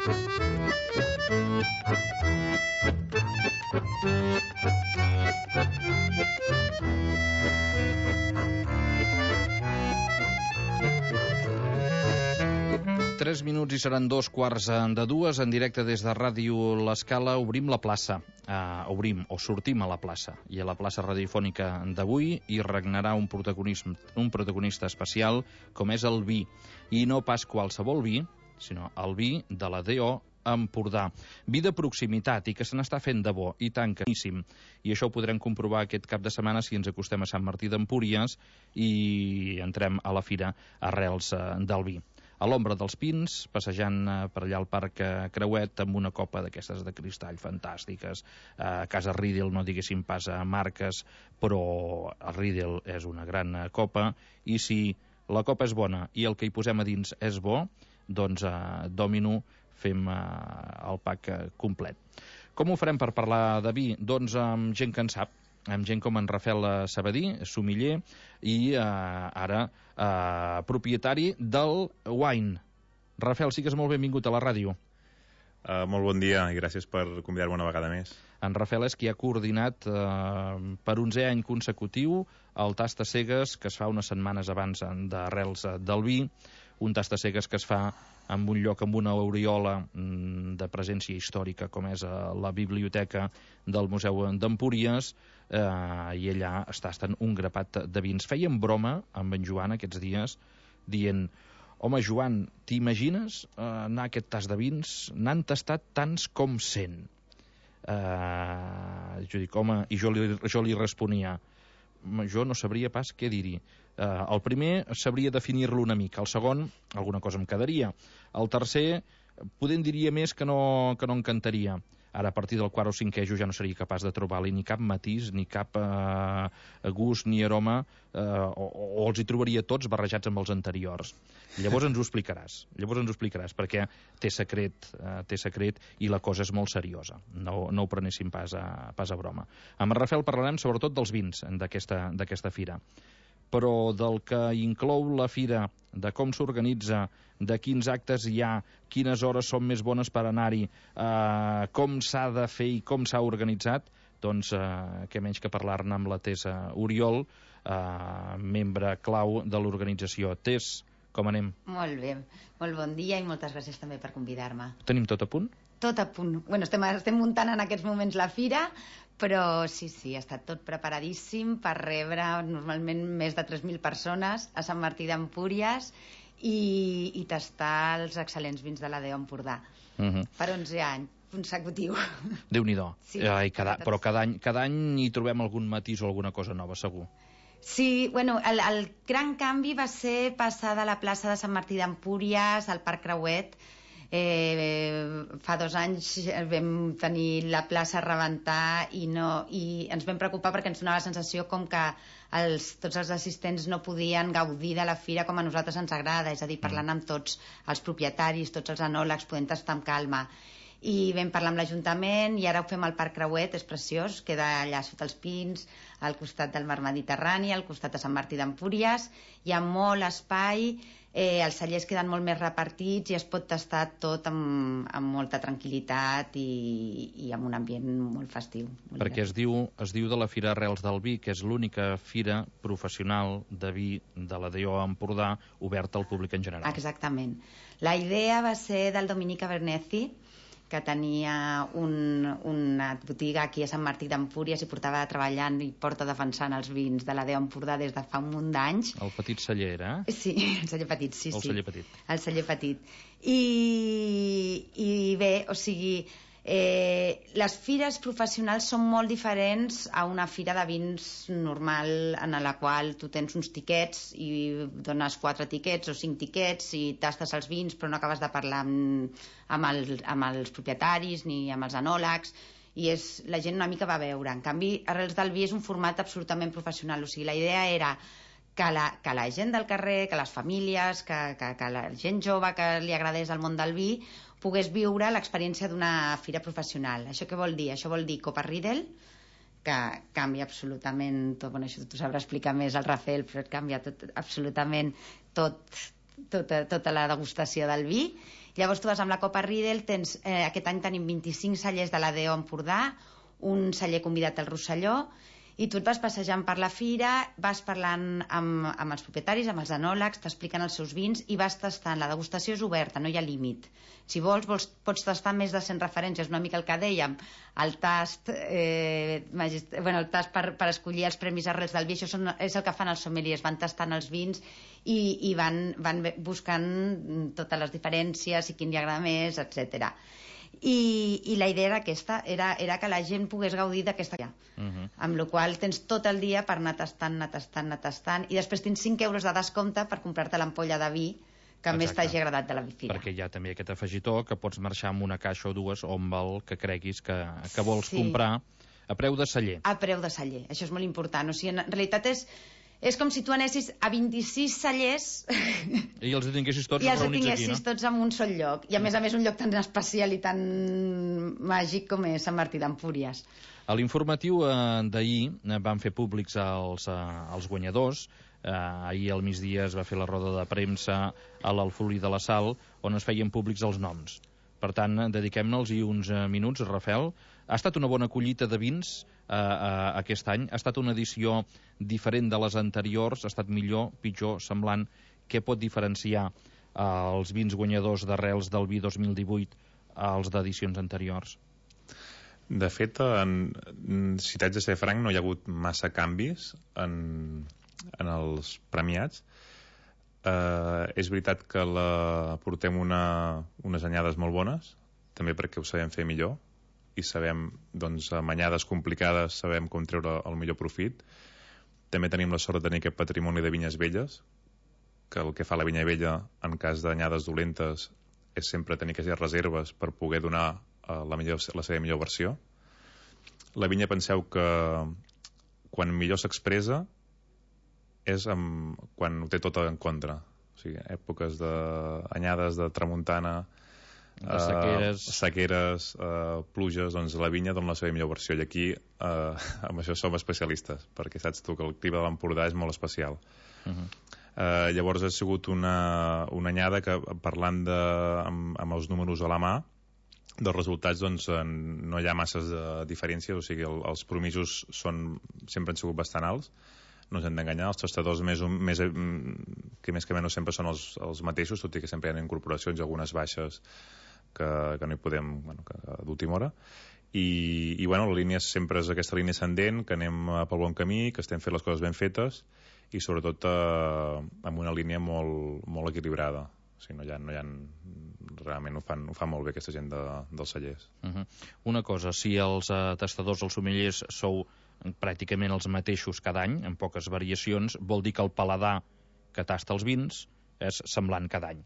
Tres minuts i seran 2:15 en directe des de Ràdio L'Escala. Obrim la plaça, sortim a la plaça, i a la plaça radiofònica d'avui hi regnarà un protagonista especial, com és el vi, i no pas qualsevol vi, sinó el vi de la DO Empordà. Vi de proximitat i que se n'està fent de bo, i tant que boníssim. I això ho podrem comprovar aquest cap de setmana si ens acostem a Sant Martí d'Empúries i entrem a la fira Arrels del Vi. A l'ombra dels pins, passejant per allà al Parc Creuet amb una copa d'aquestes de cristall fantàstiques. A casa Riedel, no diguéssim pas a marques, però el Riedel és una gran copa, i si la copa és bona i el que hi posem a dins és bo, doncs a Domino fem el pack complet. Com ho farem per parlar de vi? Doncs amb gent que en sap, amb gent com en Rafael Sabadí, sommelier, i ara propietari del Wine. Rafael, sigues molt benvingut a la ràdio. Molt bon dia i gràcies per convidar-me una vegada més. En Rafael és qui ha coordinat per 11è any consecutiu el tast a cegues que es fa unes setmanes abans d'Arrels del Vi, un tast a cegues que es fa en un lloc amb una aureola de presència històrica com és la biblioteca del Museu d'Empúries, i allà es tasten un grapat de vins. Fèiem broma amb en Joan aquests dies dient: home, Joan, t'imagines anar a aquest tast de vins? N'han tastat tants com 100. Jo dic, home, i jo li responia: jo no sabria pas què dir-hi. El primer sabria definir-lo una mica, el segon alguna cosa em quedaria, el tercer poder en diria més que no en cantaria. Ara, a partir del quart o cinquè, jo ja no seria capaç de trobar-li ni cap matís, ni cap gust, ni aroma, o els hi trobaria tots barrejats amb els anteriors. Llavors ens ho explicaràs, perquè té secret i la cosa és molt seriosa. No ho prenéssim pas a broma. Amb en Rafael parlarem sobretot dels vins d'aquesta fira, però del que inclou la fira, de com s'organitza, de quins actes hi ha, quines hores són més bones per anar-hi, com s'ha de fer i com s'ha organitzat, doncs què menys que parlar-ne amb la Tessa Oriol, membre clau de l'organització. Tess, com anem? Molt bé, molt bon dia i moltes gràcies també per convidar-me. Tenim tot a punt? Tot a punt. Bueno, estem muntant en aquests moments la fira, però sí, ha estat tot preparadíssim per rebre normalment més de 3.000 persones a Sant Martí d'Empúries i tastar els excel·lents vins de la DO Empordà. Per 11 anys consecutiu. Déu-n'hi-do. Sí, però cada any hi trobem algun matís o alguna cosa nova, segur. Sí, bueno, el gran canvi va ser passar de la plaça de Sant Martí d'Empúries al Parc Creuet. Fa 2 anys vam tenir la plaça a rebentar i ens vam preocupar perquè ens donava la sensació com que tots els assistents no podien gaudir de la fira com a nosaltres ens agrada, és a dir, parlant amb tots els propietaris, tots els enòlegs, podent tastar amb calma. I vam parlar amb l'Ajuntament i ara ho fem al Parc Creuet, és preciós, queda allà sota els pins, al costat del mar Mediterrani, al costat de Sant Martí d'Empúries, hi ha molt espai, els cellers queden molt més repartits i es pot tastar tot amb molta tranquil·litat i amb un ambient molt festiu. Perquè es diu de la Fira Arrels del Vi, que és l'única fira professional de vi de la DO Empordà oberta al públic en general. Exactament. La idea va ser del Dominique Abernethy, que tenia una botiga aquí a Sant Martí d'Empúries i portava treballant i porta defensant els vins de la DO Empordà des de fa un munt d'anys. El petit celler, Sí, el celler petit, sí. El celler petit. El celler petit. I bé, o sigui, les fires professionals són molt diferents a una fira de vins normal en la qual tu tens uns tiquets i dones 4 tiquets o 5 tiquets i tastes els vins però no acabes de parlar amb els propietaris ni amb els enòlegs i la gent una mica va veure. En canvi, Arrels del Vi és un format absolutament professional, o sigui, la idea era que la gent del carrer, que les famílies, que la gent jove que li agradés el món del vi pogués viure l'experiència d'una fira professional. Això què vol dir? Això vol dir Copa Riedel, que canvia absolutament tot, bueno, això t'ho sabrà explicar més el Rafael, però canvia absolutament tota la degustació del vi, Llavors tu vas amb la Copa Riedel, aquest any tenim 25 cellers de l'ADO Empordà, un celler convidat al Rosselló, i tu et vas passejant per la fira, vas parlant amb els propietaris, amb els enòlegs, t'expliquen els seus vins i vas tastant. La degustació és oberta, no hi ha límit. Si vols pots tastar més de 100 referències, una mica el que dèiem, el tast, el tast per escollir els premis arrels del vi, això és el que fan els sommeliers, van tastant els vins i van buscant totes les diferències i quin li agrada més, etc. I la idea era aquesta, era que la gent pogués gaudir d'aquesta amb la qual tens tot el dia per anar tastant, i després tens 5 euros de descompte per comprar-te l'ampolla de vi que més t'hagi agradat de la fira. Perquè hi ha també aquest afegitó que pots marxar amb una caixa o dues o amb el que creguis que vols comprar a preu de celler. A preu de celler, això és molt important. O sigui, en realitat és com si tu anessis a 26 cellers i els tinguessis tots reunits aquí, no? Tots en un sol lloc. I a més un lloc tan especial i tan màgic com és Sant Martí d'Empúries. A l'informatiu d'ahir van fer públics els guanyadors. Ahir al migdia es va fer la roda de premsa a l'Alfolí de la Sal, on es feien públics els noms. Per tant, dediquem-nos-hi uns minuts. Rafael, ha estat una bona collita de vins aquest any? Ha estat una edició diferent de les anteriors? Ha estat millor, pitjor, semblant? Què pot diferenciar els vins guanyadors d'Arrels del Vi 2018 als d'edicions anteriors? De fet, si t'haig de ser franc, no hi ha hagut massa canvis en els premiats. És veritat que portem unes anyades molt bones, també perquè ho sabem fer millor i sabem, doncs, amb anyades complicades sabem com treure el millor profit. També tenim la sort de tenir aquest patrimoni de vinyes velles, que el que fa la vinya vella en cas d'anyades dolentes és sempre tenir aquestes reserves per poder donar la seva millor versió. La vinya, penseu que quan millor s'expressa és quan ho té tot en contra. O sigui, èpoques d'anyades de tramuntana, sequeres, pluges, doncs la vinya dona la seva millor versió. I aquí amb això som especialistes, perquè saps tu que el clima de l'Empordà és molt especial. Llavors ha sigut una anyada que, parlant amb els números a la mà, dels resultats, doncs, no hi ha masses de diferències, o sigui, els promisos sempre han sigut bastant alts. No ens hem d'enganyar, els tastadors que més que menys sempre són els mateixos, tot i que sempre hi ha incorporacions i algunes baixes que no hi podem, d'última hora. I la línia sempre és aquesta línia ascendent, que anem pel bon camí, que estem fent les coses ben fetes i sobretot amb una línia molt equilibrada. O sigui, realment ho fan molt bé aquesta gent dels cellers. Una cosa, si els tastadors, els sommeliers, sou pràcticament els mateixos cada any, amb poques variacions, vol dir que el paladar que tasta els vins és semblant cada any.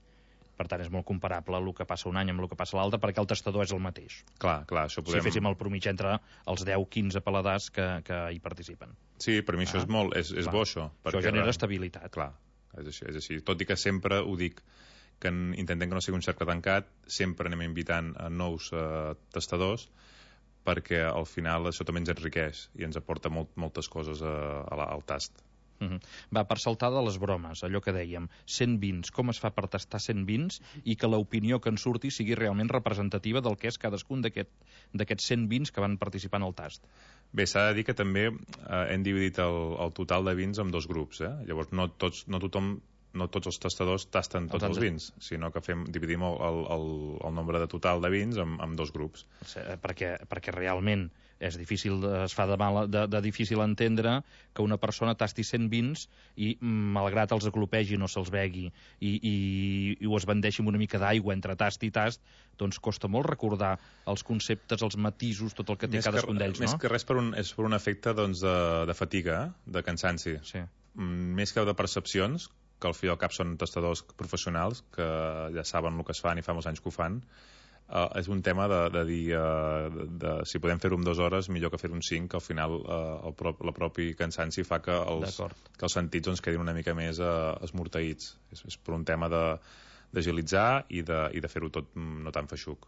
Per tant, és molt comparable el que passa un any amb el que passa l'altre, perquè el tastador és el mateix. Clar, això podem... Si féssim el promig entre els 10-15 paladars que hi participen. Sí, per mi això és bo, això. Això genera estabilitat. Clar, és així. Tot i que sempre ho dic, que intentem que no sigui un cercle tancat, sempre anem invitant a nous tastadors, perquè al final això també ens enriqueix i ens aporta moltes coses al tast. Va, per saltar de les bromes, allò que dèiem, 100 vins, com es fa per tastar 100 vins i que l'opinió que en surti sigui realment representativa del que és cadascun d'aquests 100 vins que van participar en el tast? Bé, s'ha de dir que també hem dividit el total de vins en 2 grups, llavors no tots els tastadors tasten tots els vins, sinó que dividim el nombre de total de vins en 2 grups. Perquè realment es fa de difícil entendre que una persona tasti 100 vins i, malgrat els aclopegi, no se'ls begui i ho es bandeixi amb una mica d'aigua entre tast i tast, doncs costa molt recordar els conceptes, els matisos, tot el que té cadascun d'ells, no? Més que res és per un efecte de fatiga, de cansanci. Sí. Més que de percepcions, que al fi i al cap són tastadors professionals que ja saben el que es fan i fa molts anys que ho fan. És un tema de dir si podem fer-ho en 2 hores millor que fer-ho en 5, que al final la propi cansanci fa que els sentits doncs quedin una mica més esmorteïts. És per un tema d'agilitzar i de fer-ho tot no tan feixuc.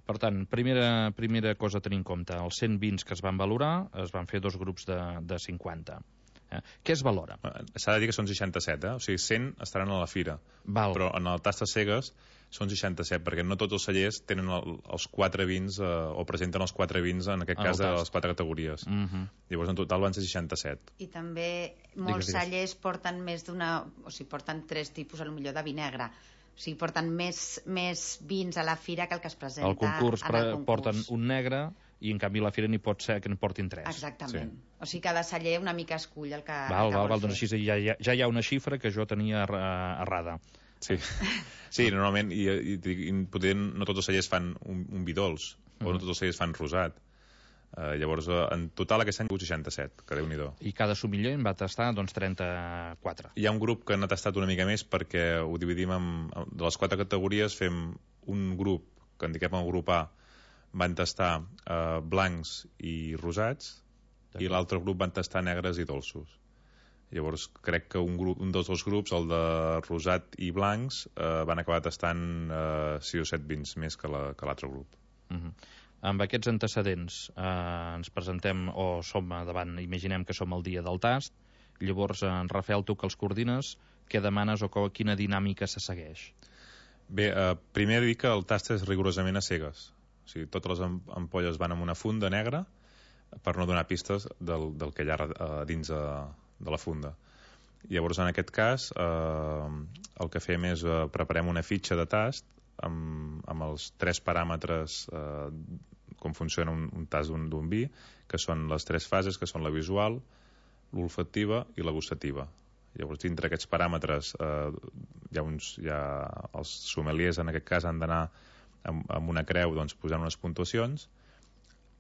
Per tant, primera cosa a tenir en compte, els 100 vins que es van valorar es van fer 2 grups de 50. Què es valora? S'ha de dir que són 67, o sigui, 100 estaran a la fira. Però en el Tastes Cegues són 67, perquè no tots els cellers tenen els 4 vins, o presenten els 4 vins, en aquest cas, de les 4 categories. Llavors, en total van ser 67. I també molts cellers porten més d'una... O sigui, porten 3 tipus, potser de vi negre. O sigui, porten més vins a la fira que el que es presenta al concurs. En el concurs porten un negre i, en canvi, a la fira n'hi pot ser que en portin 3. Exactament. Sí. O sigui, cada celler una mica escull el que vol fer. Doncs així ja hi ha una xifra que jo tenia errada. Sí, normalment, i potser no tots els cellers fan un vi dolç, o no tots els cellers fan rosat. Llavors, en total, aquest any 67, que Déu-n'hi-do. I cada sommelier en va tastar, doncs, 34. Hi ha un grup que n'ha tastat una mica més, perquè ho dividim de les 4 categories, fem un grup, que en diguem el grup A, van tastar blancs i rosats, i l'altre grup van tastar negres i dolços. Llavors, crec que un dels 2 grups, el de rosat i blancs, van acabar tastant 6 o 7 vins més que l'altre grup. Amb aquests antecedents ens presentem, o som davant, imaginem que som el dia del tast. Llavors, en Rafael, tu que els coordines, què demanes o quina dinàmica se segueix? Bé, primer dir que el tast és rigorosament a cegues. O sigui, totes les ampolles van amb una funda negra per no donar pistes del que hi ha dins de la funda. Llavors, en aquest cas, el que fem és preparem una fitxa de tast amb els 3 paràmetres com funciona un tast d'un vi, que són les 3 fases, que són la visual, l'olfactiva i la gustativa. Llavors, dintre aquests paràmetres, els sommeliers, en aquest cas, han d'anar amb una creu posant unes puntuacions.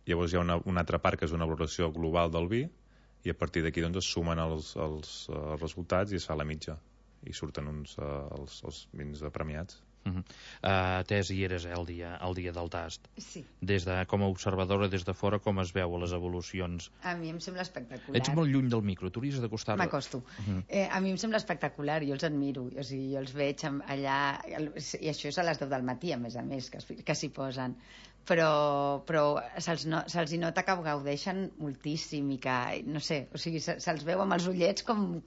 Llavors hi ha una altra part, que és una valoració global del vi, i a partir d'aquí es sumen els resultats i es fa la mitja i surten els vins premiats. Tess, hi eres el dia del tast. Sí. Com a observadora des de fora, com es veu les evolucions? A mi em sembla espectacular. Ets molt lluny del micro, t'hauries d'acostar. M'acosto. A mi em sembla espectacular, jo els admiro, o sigui, jo els veig allà, i això és a les 10 del matí, a més, que s'hi posen. Però se'ls hi nota que gaudeixen moltíssim i que, no sé, o sigui, se'ls veu amb els ullets com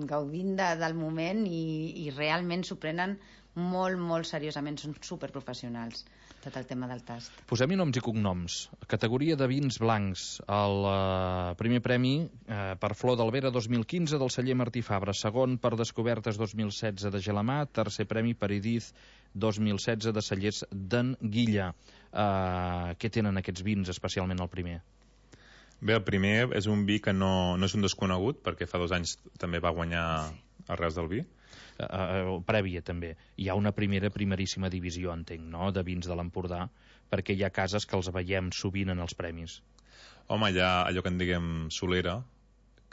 gaudint del moment i realment s'ho prenen molt, molt seriosament, són superprofessionals, tot el tema del tast. Posem-hi noms i cognoms. Categoria de vins blancs. El primer premi per Flor d'Albera 2015 del celler Martí Fabra, segon per Descobertes 2016 de Gelamà, tercer premi per Idiz 2016 de cellers d'en Guilla. Què tenen aquests vins, especialment el primer? Bé, el primer és un vi que no és un desconegut, perquè fa 2 anys també va guanyar Arrels del Vi. Prèvia també. Hi ha una primeríssima divisió, entenc, no?, de vins de l'Empordà, perquè hi ha cases que els veiem sovint en els premis. Home, hi ha allò que en diguem solera,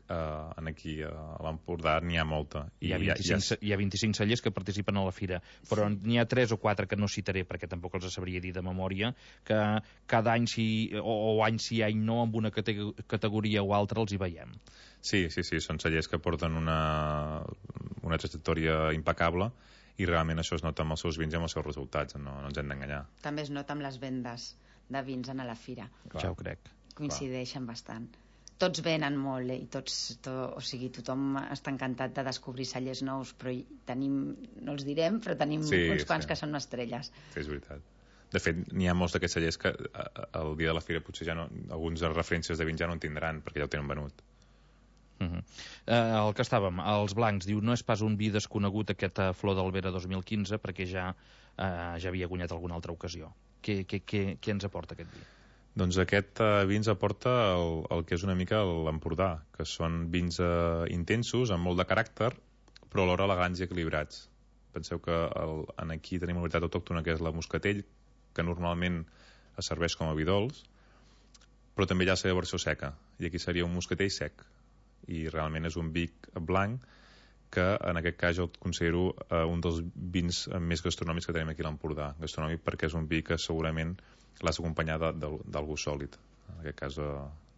aquí a l'Empordà n'hi ha molta. Hi ha 25 cellers que participen a la fira, però n'hi ha 3 o 4 que no citaré, perquè tampoc els sabria dir de memòria, que cada any sí, o any sí, any no, amb una categoria o altra els hi veiem. Sí, són cellers que porten una trajectòria impecable i realment això es nota amb els seus vins i amb els seus resultats, no ens hem d'enganyar. També es nota amb les vendes de vins a la fira. Clar. Ja ho crec. Coincideixen bastant. Tots venen molt, i o sigui, tothom està encantat de descobrir cellers nous, però tenim, no els direm, però tenim uns quants que són estrelles. Sí, és veritat. De fet, n'hi ha molts d'aquests cellers que el dia de la fira potser ja no, alguns de referències de vins ja no en tindran, perquè ja ho tenen venut. El que estàvem, els blancs, diu, no és pas un vi desconegut aquest Flor d'Albera 2015, perquè ja havia guanyat alguna altra ocasió. Què ens aporta aquest vi? Doncs aquest vi ens aporta el que és una mica l'Empordà, que són vins intensos, amb molt de caràcter, però alhora elegants i equilibrats. Penseu que aquí tenim una varietat autòctona, que és la moscatell, que normalment es serveix com a vi dolç, però també hi ha la seva versió seca, i aquí seria un moscatell sec. I realment és un vi blanc que en aquest cas jo el considero un dels vins més gastronòmics que tenim aquí a l'Empordà. Gastronòmic perquè és un vi que segurament l'has d'acompanyar d'algú sòlid, en aquest cas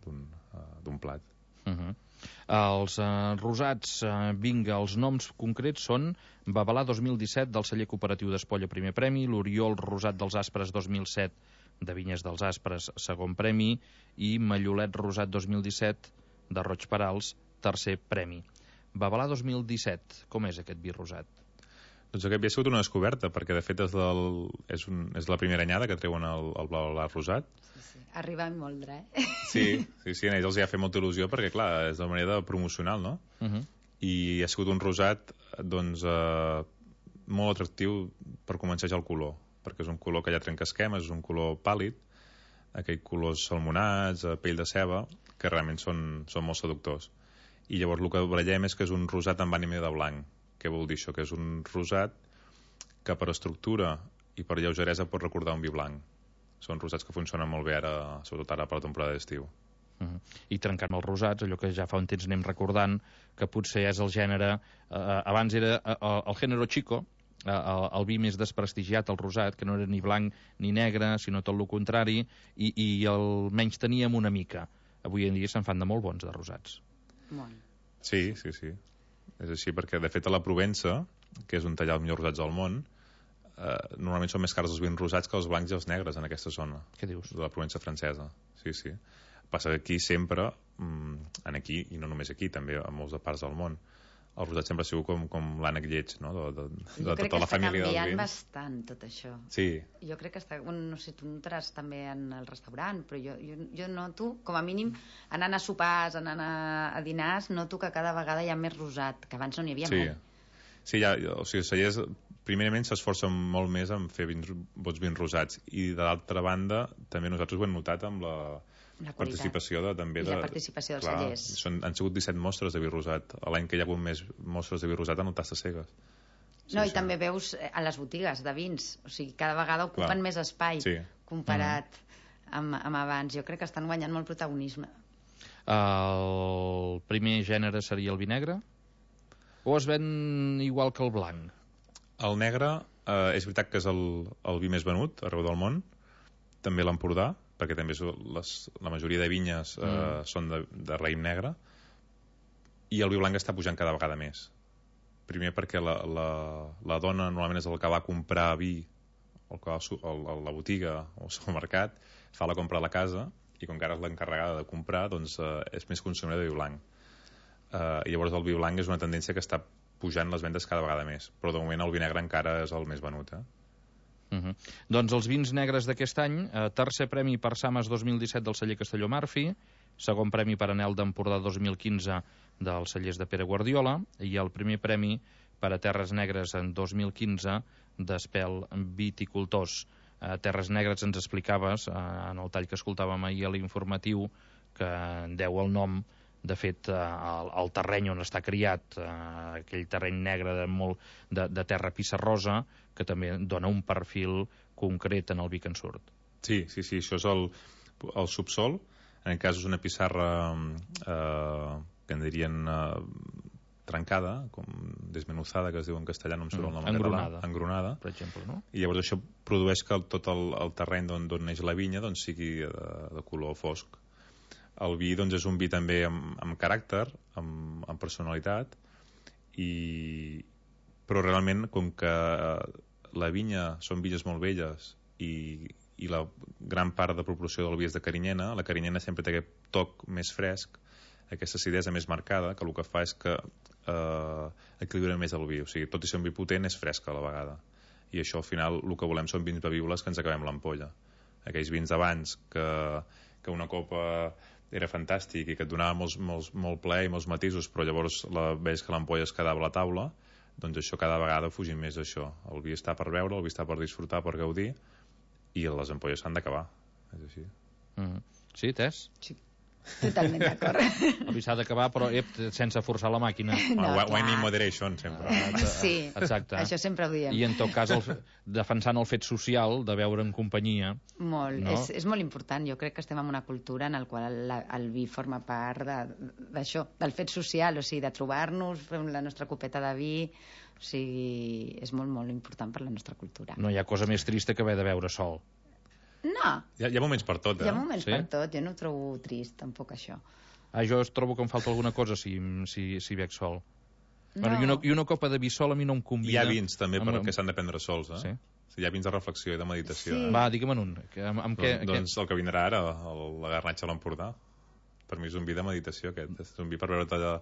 d'un plat. Els rosats, vinga, els noms concrets són Babalà 2017 del celler cooperatiu d'Espolla, primer premi, l'Oriol Rosat dels Aspres 2007 de Vinyes dels Aspres, segon premi, i Mallolet Rosat 2017 de Roig Perals, tercer premi. Babalà 2017, com és aquest vi rosat? Doncs aquest havia sigut una descoberta, perquè de fet és la primera anyada que treuen el Babalà rosat. Sí. Arriba en moldre, Sí, a ells els hi ha fet molta il·lusió, perquè clar, és de manera promocional, no? I ha sigut un rosat, doncs, molt atractiu per començar ja el color, perquè és un color que ja trenca esquemes, és un color pàl·lid, aquells colors salmonats, pell de ceba, que realment són molt seductors. I llavors el que barallem és que és un rosat amb ànima de blanc. Què vol dir això? Que és un rosat que per estructura i per lleugeresa pot recordar un vi blanc. Són rosats que funcionen molt bé ara, sobretot ara per la temporada d'estiu. I trencant els rosats, allò que ja fa un temps anem recordant, que potser és el gènere... abans era el género chico, el vi més desprestigiat, el rosat, que no era ni blanc ni negre, sinó tot el contrari, i el menys teníem una mica. Avui en dia se'n fan de molt bons, de rosats. Molt. Sí. És així, perquè de fet a la Provença, que és on hi ha els millors rosats del món, normalment són més cars els vins rosats que els blancs i els negres en aquesta zona. Què dius? De la Provença francesa, sí. Passa que aquí sempre, aquí, i no només aquí, també a molts de parts del món, el rosat sempre ha sigut com l'ànec lleig, no? de tota la família dels vins. Jo crec que està canviant bastant tot això. Sí. Jo crec que està... no sé, tu notaràs també en el restaurant, però jo noto, com a mínim, anant a sopars, anant a dinars, noto que cada vegada hi ha més rosat, que abans no n'hi havia mai. Sí, o sigui, els cellers primerament s'esforcen molt més en fer bons vins rosats, i de l'altra banda també nosaltres ho hem notat amb la participació també la participació dels cellers. Han sigut 17 mostres de vi rosat. L'any que hi ha hagut més mostres de vi rosat en el Tastes Cegues. I també veus a les botigues de vins, o sigui, cada vegada ocupen més espai comparat amb abans. Jo crec que estan guanyant molt protagonisme. El primer gènere seria el vi negre? O es ven igual que el blanc? El negre és veritat que és el vi més venut arreu del món, també l'Empordà, perquè també la majoria de vinyes són de raïm negre, i el vi blanc està pujant cada vegada més. Primer perquè la dona normalment és el que va a comprar vi o que va a la botiga o al mercat, fa la compra a la casa, i com que ara és l'encarregada de comprar, doncs és més consumidor de vi blanc. I llavors el vi blanc és una tendència que està pujant les vendes cada vegada més, però de moment el vi negre encara és el més venut. Doncs els vins negres d'aquest any, tercer premi per Sames 2017 del celler Castelló Marfi, segon premi per Anel d'Empordà 2015 dels cellers de Pere Guardiola, i el primer premi per a Terres Negres en 2015 d'Espel Viticultors. Terres Negres ens explicaves en el tall que escoltàvem ahir a l'informatiu que deu el nom de fet el terreny on està criat, aquell terreny negre de terra pissarrosa, que també dona un perfil concret en el vi que en surt. Sí, això és el subsol. En aquest cas és una pissarra que en dirien trencada, com desmenuzada, que es diu en castellà, no em surt el nom en català. Engronada, per exemple, no? I llavors això produeix que tot el terreny d'on neix la vinya doncs sigui de color fosc. El vi doncs, és un vi també amb caràcter, amb personalitat, però realment, com que la vinya són vinyes molt velles i la gran part de proporció del vi és de carinyena, la carinyena sempre té aquest toc més fresc, aquesta acidesa més marcada, que el que fa és que equilibra més el vi. O sigui, tot i ser un vi potent, és fresc a la vegada. I això, al final, el que volem són vins bevibles que ens acabem l'ampolla. Aquells vins d'abans que una copa era fantàstic i que et donava molt plaer i molts matisos, però llavors veus que l'ampolla es quedava a la taula, doncs això cada vegada fugim més d'això. El vi està per beure, el vi està per disfrutar, per gaudir, i les ampolles s'han d'acabar. És així. Sí, Tess? Sí, totalment d'acord. El vi s'ha d'acabar, però sense forçar la màquina. Wine in moderation, sempre. Sí, exacte. Això sempre ho diem. I en tot cas, defensant el fet social de beure en companyia. Molt, no? És molt important. Jo crec que estem en una cultura en la qual el vi forma part d'això, del fet social, o sigui, de trobar-nos, fer la nostra copeta de vi. O sigui, és molt, molt important per la nostra cultura. No hi ha cosa més trista que haver de beure sol. No. Hi ha moments per tot, Hi ha moments per tot. Jo no ho trobo trist, tampoc, això. Jo trobo que em falta alguna cosa si bec sol. No. Bueno, i una copa de vi sol a mi no em convida. Hi ha vins també que s'han de prendre sols, Sí. Hi ha vins de reflexió i de meditació. Sí. Va, digue'm un. Doncs el que vindrà ara, la garnatxa a l'Empordà. per mi és un vi de meditació, aquest. És un vi per veure-te allà,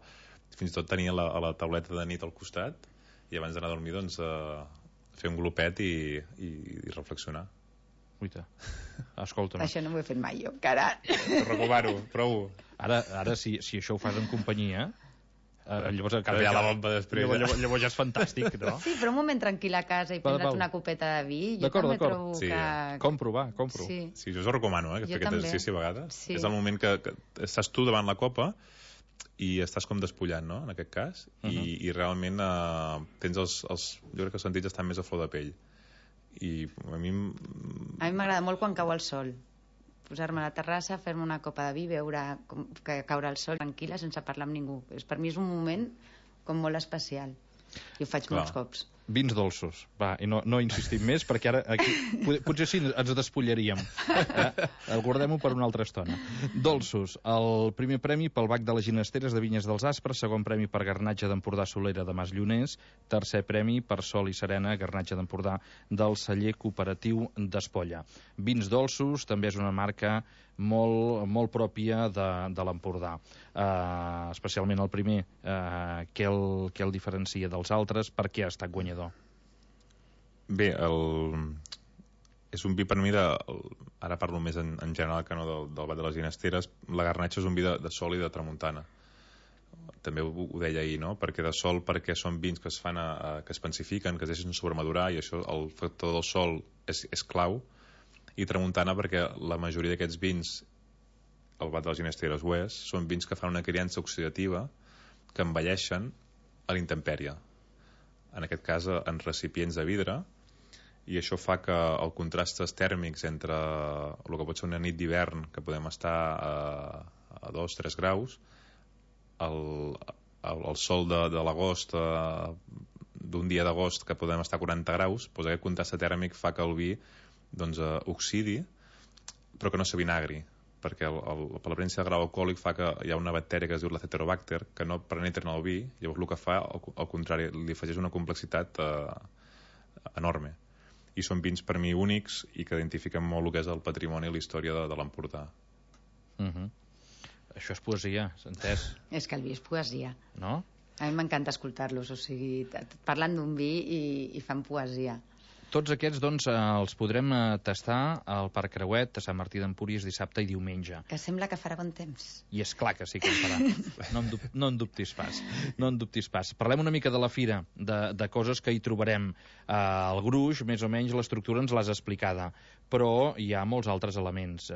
fins i tot tenir a la tauleta de nit al costat i abans d'anar a dormir, doncs, fer un glopet i reflexionar. Uita, escolta. Això no m'ho he fet mai jo, encara. T'ho recomano, prou-ho. Ara si això ho fas en companyia, llavors Però ja la bomba després. Llavors ja és fantàstic, no? Sí, però un moment tranquil a casa i prendre't una copeta de vi, jo també trobo sí, que... Compro. Sí, jo us ho recomano, que fer aquest exercici a vegades. Sí. És el moment que estàs tu davant la copa i estàs com despullant, no?, en aquest cas, i realment tens jo crec que els sentits estan més a flor de pell. I a mi m'agrada molt quan cau el sol. Posar-me a la terrassa, fer-me una copa de vi, veure caure el sol tranquil·la, sense parlar amb ningú. Per mi és un moment com molt especial. I ho faig molts cops. Vins dolços. Va, i no insistim més, perquè ara aquí potser sí ens despullaríem. El guardem-ho per una altra estona. Dolços. El primer premi pel Bac de les Ginesteres de Vinyes dels Aspres, segon premi per Garnatge d'Empordà Solera de Mas Lloners, tercer premi per Sol i Serena, Garnatge d'Empordà del celler cooperatiu d'Espolla. Vins dolços també és una marca molt pròpia de l'Empordà. Especialment el primer, què el diferencia dels altres? Per què ha estat guanyador? Bé, és un vi per mi ara parlo més en general que no del Bac de les Ginesteres. La Garnatxa és un vi de sol i de tramuntana. També ho deia ahir, no? Perquè de sol, perquè són vins que es fan que es pensifiquen, que es deixen sobremadurar, i això, el factor del sol és clau. I tramuntana perquè la majoria d'aquests vins, el Bac de les Ginesteres ho és, són vins que fan una criança oxidativa, que envelleixen a la intempèrie, en aquest cas en recipients de vidre, i això fa que els contrastes tèrmics entre el que pot ser una nit d'hivern, que podem estar a 2-3 graus, el sol de l'agost, d'un dia d'agost que podem estar a 40 graus, doncs aquest contrast tèrmic fa que el vi oxidi, però que no s'avinagri, perquè per la presència de grau alcohòlic fa que hi ha una bactèria que es diu l'aceterobacter, que no penetra en el vi, llavors el que fa, al contrari, li afegeix una complexitat enorme. I són vins per mi únics i que identifiquen molt el que és el patrimoni i la història de l'Empordà. Això és poesia, s'ha entès? És que el vi és poesia. No? A mi m'encanta escoltar-los, o sigui, parlen d'un vi i fan poesia. Tots aquests, doncs, els podrem tastar al Parc Creuet, a Sant Martí d'Empúries, dissabte i diumenge. Que sembla que farà bon temps. I és clar que sí que en farà. No en dubtis pas. No en dubtis pas. Parlem una mica de la fira, de coses que hi trobarem. El gruix, més o menys, l'estructura ens l'has explicada, però hi ha molts altres elements.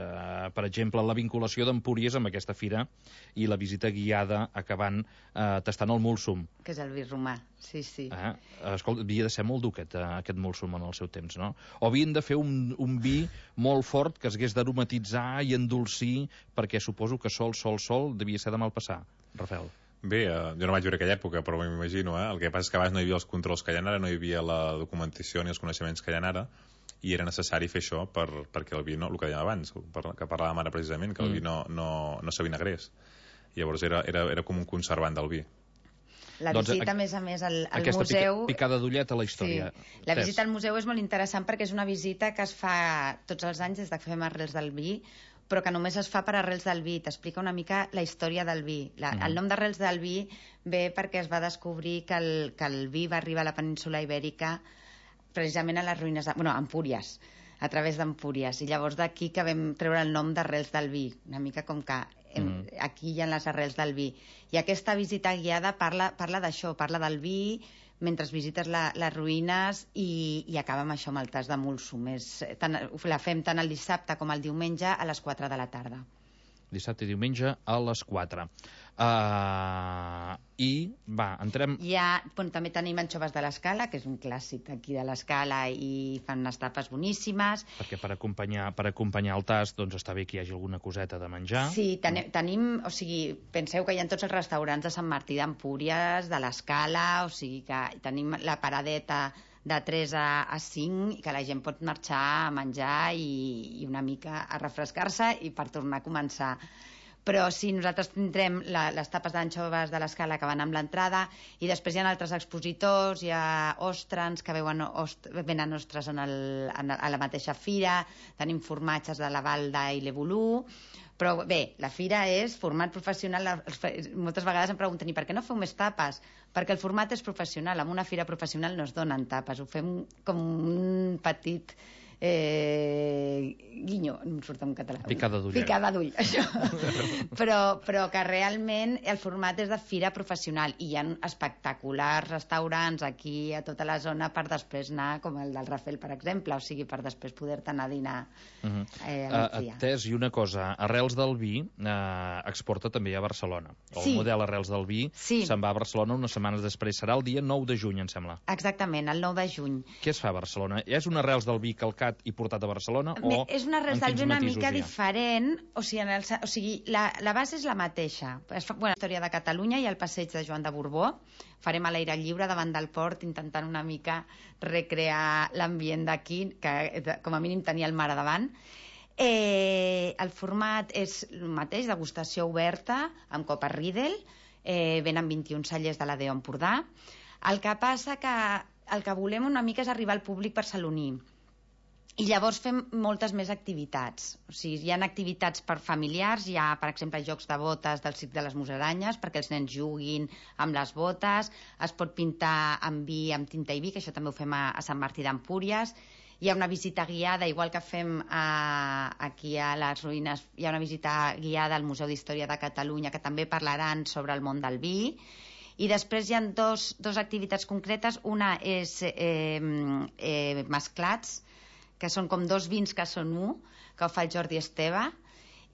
Per exemple, la vinculació d'Empúries amb aquesta fira i la visita guiada acabant tastant el múlsum. Que és el vi romà, sí. Escolta, havia de ser molt dur aquest múlsum en el seu temps, no? O havien de fer un vi molt fort que es hagués d'aromatitzar i endolcir, perquè suposo que sol devia ser de mal passar. Rafael. Bé, jo no vaig viure aquella època, però m'imagino, El que passa és que abans no hi havia els controls que hi ha ara, no hi havia la documentació ni els coneixements que hi ha ara, i era necessari fer això perquè el vi, el que dèiem abans, que parlàvem ara precisament, que el vi no s'avinagrés. Llavors era com un conservant del vi. La visita, a més, al museu... Aquesta picada d'ullet a la història. Sí. La visita al museu és molt interessant perquè és una visita que es fa tots els anys des que fem Arrels del Vi, però que només es fa per Arrels del Vi. T'explica una mica la història del vi. El nom d'Arrels del Vi ve perquè es va descobrir que el vi va arribar a la península Ibèrica precisament a les ruïnes a Empúries, a través d'Empúries. I llavors d'aquí que vam treure el nom d'Arrels del Vi. Una mica com que aquí hi ha les arrels del vi. I aquesta visita guiada parla d'això, parla del vi mentre visites les ruïnes i acaba amb això, amb el tas de múlsum. La fem tant el dissabte com el diumenge a les 4 de la tarda. Dissabte i diumenge a les 4. Entrem... També tenim anxoves de l'Escala, que és un clàssic aquí de l'Escala, i fan unes tapes boníssimes. Perquè per acompanyar el tast, doncs està bé que hi hagi alguna coseta de menjar. Sí, tenim, o sigui, penseu que hi ha tots els restaurants de Sant Martí d'Empúries, de l'Escala, o sigui que tenim la paradeta de 3 a 5 i que la gent pot marxar a menjar i una mica a refrescar-se i per tornar a començar. Però sí, nosaltres tindrem les tapes d'anxoves de l'Escala que van amb l'entrada, i després hi ha altres expositors, hi ha ostrans que venen ostres a la mateixa fira, tenim formatges de la Valda i l'Evolú, però bé, la fira és format professional. Moltes vegades em pregunten, i per què no feu més tapes? Perquè el format és professional, en una fira professional no es donen tapes, ho fem com un petit guinyo, no em surt en català. Picada d'ull. Picada d'ull, això. però que realment el format és de fira professional, i hi ha espectaculars restaurants aquí a tota la zona per després anar, com el del Rafel, per exemple, o sigui, per després poder-te anar a dinar a migdia. Tess, i una cosa, Arrels del Vi exporta també a Barcelona. El model Arrels del Vi se'n va a Barcelona unes setmanes després. Serà el dia 9 de juny, em sembla. Exactament, el 9 de juny. Què es fa a Barcelona? És un Arrels del Vi calcat i portat a Barcelona? És una Arrels del Vi una mica diferent, o sigui, la base és la mateixa. Es fa la història de Catalunya i el passeig de Joan de Borbó. Farem a l'aire lliure davant del port, intentant una mica recrear l'ambient d'aquí, que com a mínim tenia el mar a davant. El format és el mateix, degustació oberta, amb copa Riedel, venen 21 cellers de la DO Empordà. El que passa que el que volem una mica és arribar al públic barceloní. I llavors fem moltes més activitats. O sigui, hi ha activitats per familiars, hi ha, per exemple, jocs de botes del Circ de les Musaranyes, perquè els nens juguin amb les botes, es pot pintar amb vi, amb tinta i vi, que això també ho fem a Sant Martí d'Empúries. Hi ha una visita guiada, igual que fem aquí a les ruïnes, hi ha una visita guiada al Museu d'Història de Catalunya, que també parlaran sobre el món del vi. I després hi ha dos activitats concretes. Una és mesclats, que són com dos vins que són un, que ho fa el Jordi Esteve,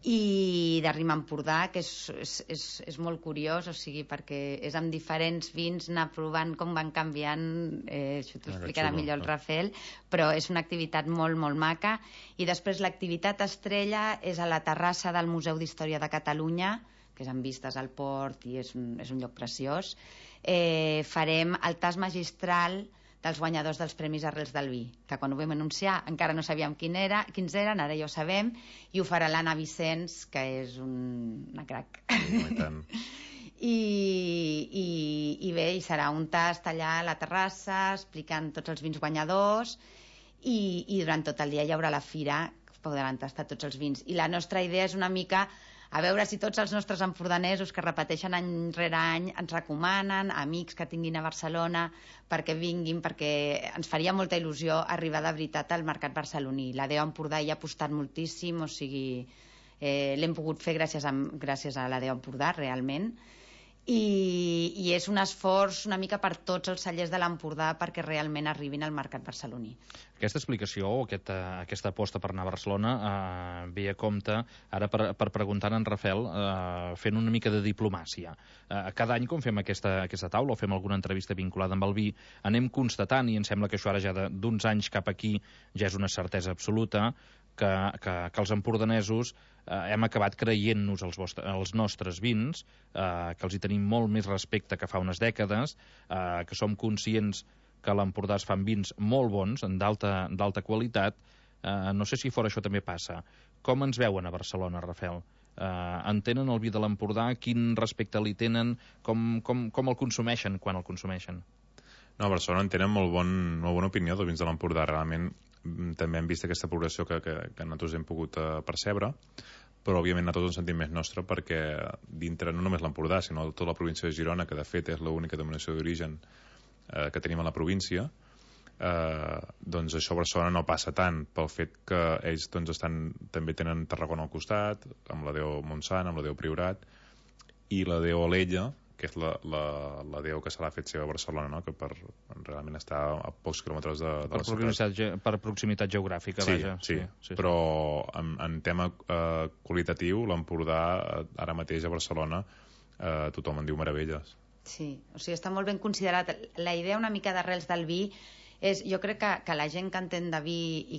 i de Rima Empordà, que és molt curiós, o sigui, perquè és amb diferents vins, anar provant com van canviant, això t'ho explicarà millor el Rafel, però és una activitat molt, molt maca. I després l'activitat estrella és a la terrassa del Museu d'Història de Catalunya, que és amb vistes al port i és un lloc preciós. Farem el tas magistral dels guanyadors dels Premis Arrels del Vi, que quan ho vam anunciar encara no sabíem quins eren, ara ja ho sabem, i ho farà l'Anna Vicenç, que és una crac. I bé, hi serà un tast allà a la terrassa, explicant tots els vins guanyadors, i durant tot el dia hi haurà la fira, que podran tastar tots els vins. I la nostra idea és una mica a veure si tots els nostres empordanesos que repeteixen any rere any ens recomanen, amics que tinguin a Barcelona, perquè vinguin, perquè ens faria molta il·lusió arribar de veritat al mercat barceloní. La DO Empordà hi ha apostat moltíssim, o sigui, l'hem pogut fer gràcies a la DO Empordà, realment, i és un esforç una mica per tots els cellers de l'Empordà perquè realment arribin al mercat barceloní. Aquesta explicació o aquesta aposta per anar a Barcelona ve a compte ara per preguntar a en Rafel, fent una mica de diplomàcia. Cada any quan fem aquesta taula o fem alguna entrevista vinculada amb el vi, anem constatant, i em sembla que això ara ja d'uns anys cap aquí ja és una certesa absoluta, que els empordanesos hem acabat creient-nos els nostres vins, que els hi tenim molt més respecte que fa unes dècades, que som conscients que a l'Empordà es fan vins molt bons, d'alta qualitat. No sé si fora això també passa. Com ens veuen a Barcelona, Rafel? Entenen el vi de l'Empordà? Quin respecte li tenen? Com el consumeixen quan el consumeixen? No, a Barcelona en tenen molt bona opinió dels vins de l'Empordà. Realment també hem vist aquesta progressió que nosaltres hem pogut percebre, però òbviament nosaltres ens sentim més nostre perquè dintre no només l'Empordà, sinó tota la província de Girona, que de fet és l'única denominació d'origen que tenim a la província, doncs això a Barcelona no passa tant pel fet que ells també tenen Tarragona al costat, amb la DO Montsant, amb la DO Priorat, i la DO Alella, que és la DO que se l'ha fet seva a Barcelona, no? Que realment està a pocs quilòmetres de la ciutat. Per proximitat geogràfica, vaja. Sí. Però en tema qualitatiu, l'Empordà ara mateix a Barcelona tothom en diu meravelles. Sí, o sigui, està molt ben considerat. La idea una mica d'Arrels del Vi és, jo crec que la gent que entén de vi i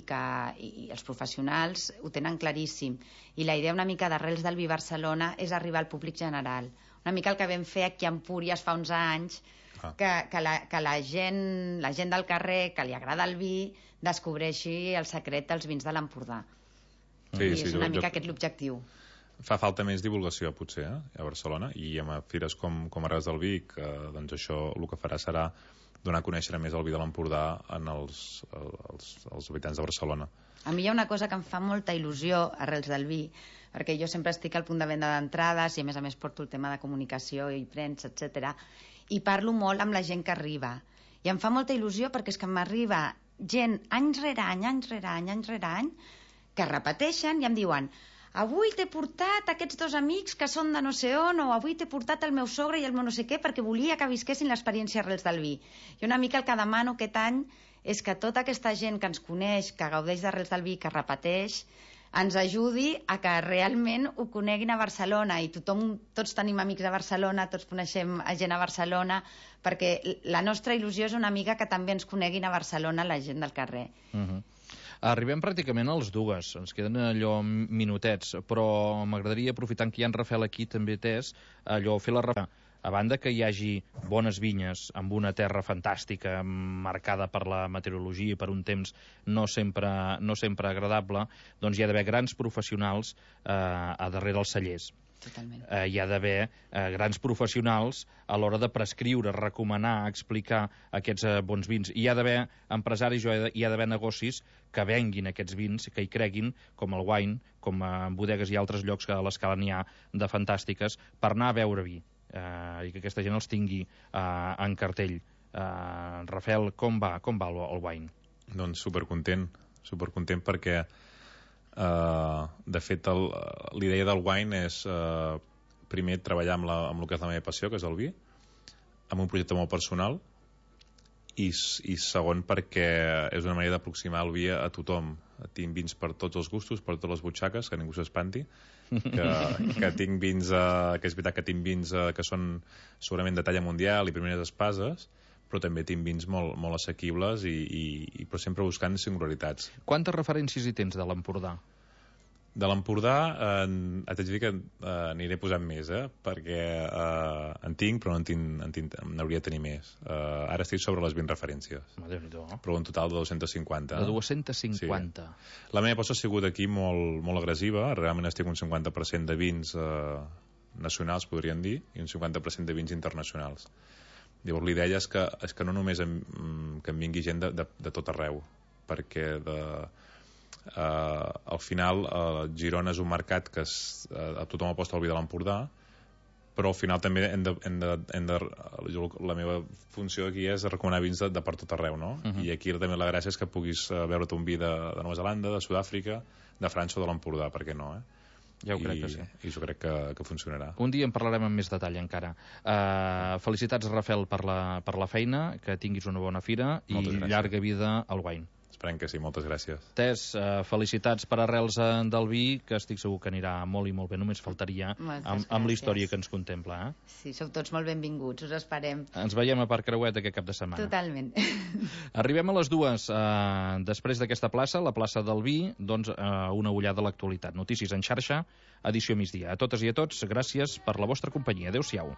els professionals ho tenen claríssim, i la idea una mica d'Arrels del Vi Barcelona és arribar al públic general. Una mica el que vam fer aquí a Empúries fa uns anys, que la gent del carrer que li agrada el vi descobreixi el secret dels vins de l'Empordà. Sí, és una mica aquest l'objectiu. Fa falta més divulgació, potser, a Barcelona, i amb fires com Arrels del Vi, que doncs això el que farà serà donar a conèixer més el vi de l'Empordà als habitants de Barcelona. A mi hi ha una cosa que em fa molta il·lusió, Arrels del Vi, perquè jo sempre estic al punt de venda d'entrades i a més porto el tema de comunicació i premsa, etc. I parlo molt amb la gent que arriba. I em fa molta il·lusió perquè és que m'arriba gent any rere any, que repeteixen i em diuen: avui t'he portat aquests dos amics que són de no sé on, o avui t'he portat el meu sogre i el meu no sé què, perquè volia que visquessin l'experiència Arrels del Vi. I una mica el que demano aquest any és que tota aquesta gent que ens coneix, que gaudeix d'Arrels del Vi, que repeteix, ens ajudi a que realment ho coneguin a Barcelona. I tots tenim amics a Barcelona, tots coneixem gent a Barcelona, perquè la nostra il·lusió és una mica que també ens coneguin a Barcelona la gent del carrer. Arribem pràcticament a les dues, ens queden allò minutets, però m'agradaria, aprofitant que hi ha en Rafel aquí també atès, allò fer la referència. A banda que hi hagi bones vinyes amb una terra fantàstica, marcada per la meteorologia i per un temps no sempre agradable, doncs hi ha d'haver grans professionals a darrere els cellers. Totalment. Hi ha d'haver grans professionals a l'hora de prescriure, recomanar, explicar aquests bons vins. Hi ha d'haver empresaris, hi ha d'haver negocis que venguin aquests vins, que hi creguin, com el Wine, com en bodegues i altres llocs que a l'Escala n'hi ha de fantàstiques, per anar a beure vi. I que aquesta gent els tingui en cartell. Rafel, com va el Wine? Doncs supercontent perquè de fet l'idea del Wine és primer treballar amb el que és la meva passió, que és el vi, amb un projecte molt personal, i segon perquè és una manera d'aproximar el vi a tothom. Tinc vins per tots els gustos, per totes les butxaques, que ningú s'espanti, que tinc vins que és veritat que tinc vins que són segurament de talla mundial i primeres espases, però també tinc vins molt assequibles però sempre buscant singularitats. Quantes referències hi tens de l'Empordà? De l'Empordà t'haig de dir que n'aniré posant més, perquè en tinc, però n'hauria de tenir més. Ara estic sobre les 20 referències. Però un total de 250. De 250. Sí. La meva aposta ha sigut aquí molt agressiva. Realment estic un 50% de vins nacionals, podríem dir, i un 50% de vins internacionals. Llavors l'idea és que no només que em vingui gent de tot arreu, perquè al final Girona és un mercat que tothom aposta al vi de l'Empordà, però al final també la meva funció aquí és recomanar vins de per tot arreu, no? I aquí també la gràcia és que puguis veure't un vi de Nova Zelanda, de Sud-àfrica, de França o de l'Empordà, per què no, Ja ho crec que sí. I jo crec que funcionarà. Un dia en parlarem amb més detall encara. Felicitats, Rafel, per la feina, que tinguis una bona fira i llarga vida al Wine. Esperem que sí, moltes gràcies. Tess, felicitats per Arrels del Vi, que estic segur que anirà molt i molt bé, només faltaria amb la història que ens contempla. Sí, sou tots molt benvinguts, us esperem. Ens veiem a Parc Creuet aquest cap de setmana. Totalment. Arribem a les dues. Després d'aquesta plaça, la plaça del Vi, doncs una ullada a l'actualitat. Notícies en xarxa, edició migdia. A totes i a tots, gràcies per la vostra companyia. Adéu-siau.